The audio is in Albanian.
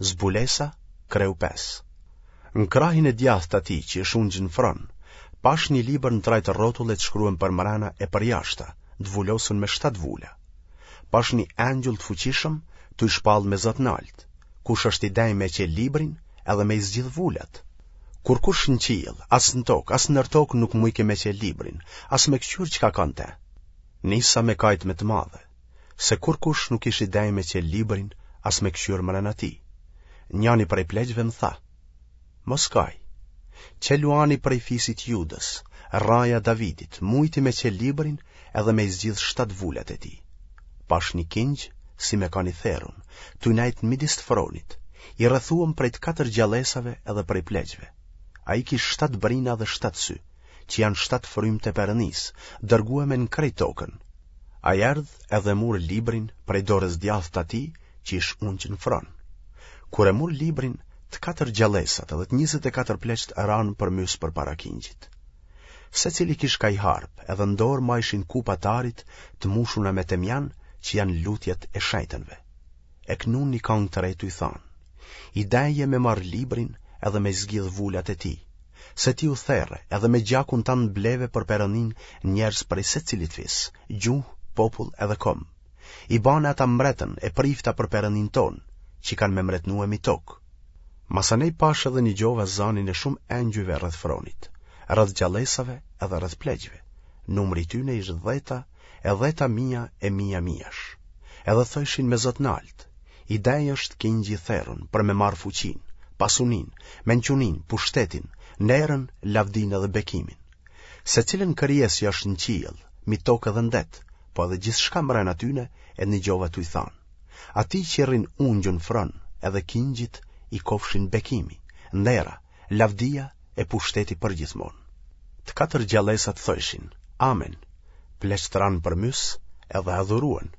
Zbulesa, kreu 5. Në krahin e djathtë të atij që ish ungjë në fron, pashë një libër në trajtë rrotulle të shkruem përmrena e përjashta, të vulosun me shtatë vula. Pashë një engjull të fuqishëm, tuj shpallë me za të naltë, kush është i denjë me çelë librin edhe me i zgjidhë vulat. Kurkush në qiell, as në tokë, as nër tokë nuk mujke me çelë librin, as me këqyrë çka ka në te. Nisa me kajtë me të madhe, se kurkush nuk ish i denjë me çelë librin, as me këqyrë mrena tij. Njani prej pleqve më tha, Mos kaj, qe luani prej fisit Judës, rraja e Davidit, mujti me çelë librin edhe me i zgjidhë shtatë vulat e tij. Pashë një kingj si me kanë i therun, tuj nejtë në midis të fronit, i rrethuem prej të katër gjallesave edhe prej pleqve. Ai kish shtatë brina dhe shtatë sy, që janë shtatë frymë të Perënisë, dërgueme në krejt tokën. Ai erdh edhe mur librin prej dorës djathtë të atij që ish ungjë në fron. Kur e mur librin, të katër gjallesat edhe të 24 pleqtë ranë përmys përpara kingjit. Secili kish ka i harpë, edhe në dorë majshin kupa t'arit të mushuna me temjan që janë lutjet e shejtënve. E knun një kangë të re tuj thanë. I denjë je me marrë librin edhe me zgjidhë vulat e tij, se ti u there edhe me gjakun tand bleve për Perëndinë njerëz prej secilit fis, gjuhë, popull edhe komb. I bane ata mbretën e prifta për Perëndinë tonë, që kanë me mbretnue mi tokë. Masanej pashë edhe nigjova zanin e shumë engjujve rreth fronit, rreth gjallesave edhe rreth pleqve. Numri i tyne ish dheta e dheta mija e mija mijash. Edhe thojshin me zë të naltë, i denjë është kingji i therun për me marrë fuqinë, pasuninë, mençuninë, pushtetin, nderën, lavdinë edhe bekimin. Secilën krijesë që është në qiell, mi tokë edhe në det, po edhe gjithçka mrena tyne e nigjova tuj thanë. Atij që rrin ungjun n'fron edhe kingjit i kofshin bekimi, ndera, lavdia e pushteti përgjithmonë. Të katër gjallesat thojshin, Amen, pleqtë ranë përmys edhe adhuruen.